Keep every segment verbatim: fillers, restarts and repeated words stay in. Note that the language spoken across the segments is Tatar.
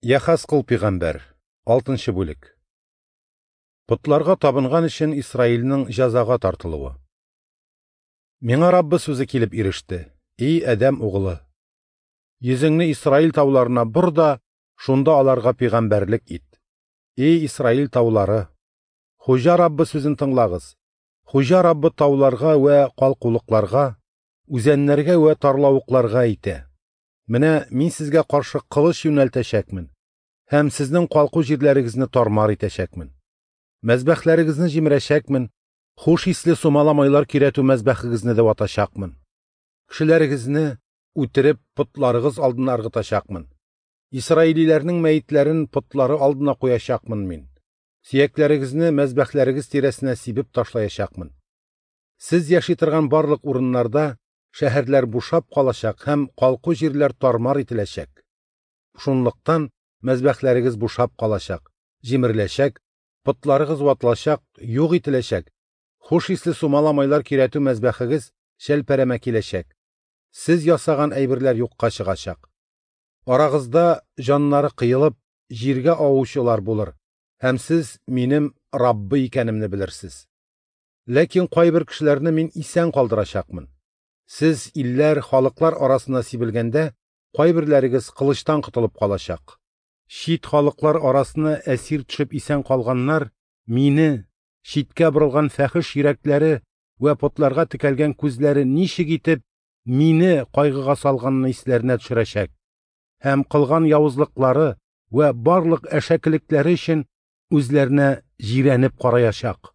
Яхазкыл пәйгамбәр, алтынчы бүлек. Потларга табынган өчен Исраилнең җәзага тартылуы. Миңа Раббы сүзе килеп иреште: "Эй Адәм угылы, йөзеңне Исраил тауларына бор да, шунда аларга пәйгамбәрлек ит. Эй Исраил таулары, Хуҗа Раббы сүзен тыңлагыз. Хуҗа Раббы тауларга вә калкулыкларга, үзәннәргә вә тарлавыкларга әйтә: Менә мин сезгә каршы кылыч юнәлтәчәкмен һәм сезнең калку җирләрегезне тармар итәчәкмен. Мәзбәхләрегезне җимерәчәкмен, хуш исле сумала майлар көйрәтү мәзбәхегезне дә ватачакмын. Кешеләрегезне үтереп потларыгыз алдына ыргытачакмын. Исраилиләрнең мәетләрен потлары алдына куячакмын мин. Сөякләрегезне мәзбәхләрегез тирәсенә сибеп ташлаячакмын. Сез яши торган барлык урыннарда шәһәрләр бушап калачак һәм калку җирләр тармар ителәчәк. Шунлыктан мәзбәхләрегез бушап калачак, җимереләчәк, потларыгыз ватылачак, юк ителәчәк. Хуш исле сумала майлар көйрәтү мәзбәхегез шәлпәрәмә киләчәк. Сез ясаган әйберләр юкка чыгачак. Арагызда җаннары кыелып, җиргә авучылар булыр, һәм сез минем Раббы икәнемне белерсез. Ләкин кайбер кешеләрне мин исән калдырачакмын. Сез илләр, халыклар арасына сибелгәндә, кайберләрегез кылычтан котылып калачак. Чит халыклар арасына әсир төшеп исән калганнар мине, читкә борылган фәхиш йөрәкләре вә потларга текәлгән күзләре ничек итеп мине кайгыга салганны исләренә төшерәчәк һәм кылган явызлыклары вә барлык әшәкелекләре өчен үзләренә җирәнеп караячак.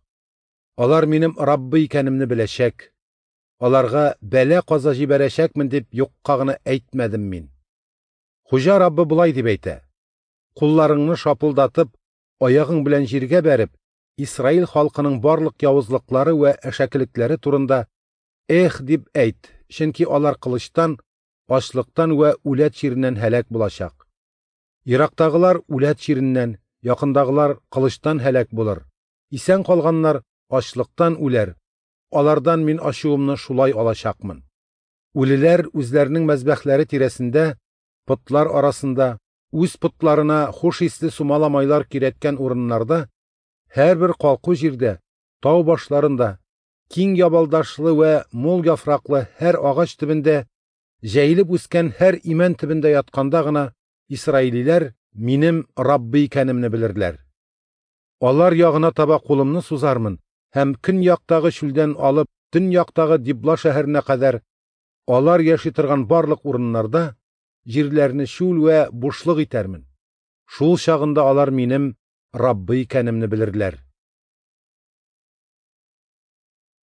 Алар минем Раббы икәнемне беләчәк. Аларга бәла-каза җибәрәчәкмен дип юкка гына әйтмәдем мин. Хуҗа Раббы болай дип әйтә: Кулларыңны шапылдатып, аягың белән җиргә бәреп, Исраил халкының барлык явызлыклары вә әшәкелекләре турында "Эх" дип әйт, чөнки алар кылычтан, ачлыктан вә үләт чиреннән һәлак булачак. Ерактагылар үләт чиреннән, якындагылар кылычтан һәлак булыр. Исән калганнар ачлыктан үләр. Алардан мин ачуымны шулай алачакмын. Үлеләр үзләренең мәзбәхләре тирәсендә, потлар арасында, үз потларына хуш исле сумала майлар көйрәткән урыннарда, һәрбер калку җирдә, тау башларында, киң ябалдашлы вә мул яфраклы һәр агач төбендә, җәелеп үскән һәр имән төбендә ятканда гына исраилиләр минем Раббы икәнемне белерләр. Алар ягына таба кулымны сузармын һәм көньяктагы чүлдән алып төньяктагы Дибла шәһәренә кадәр алар яши торган барлык урыннарда җирләрне чүл вә бушлык итәрмен. Шул чагында алар минем Раббы икәнемне белерләр.